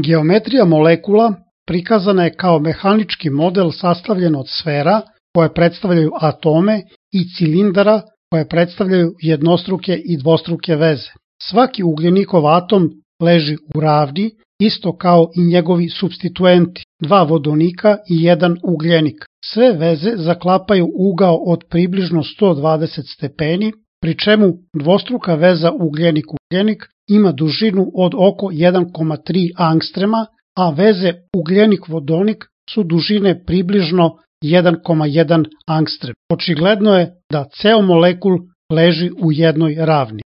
Geometrija molekula prikazana je kao mehanički model sastavljen od sfera koje predstavljaju atome i cilindara koje predstavljaju jednostruke i dvostruke veze. Svaki ugljenikov atom leži u ravni, isto kao i njegovi supstituenti, 2 vodonika i 1 ugljenik. Sve veze zaklapaju ugao od približno 120 stepeni, pri čemu dvostruka veza ugljenik-ugljenik ima dužinu od oko 1,3 angstrema, a veze ugljenik-vodonik su dužine približno 1,1 angstrem. Očigledno je da ceo molekul leži u jednoj ravni.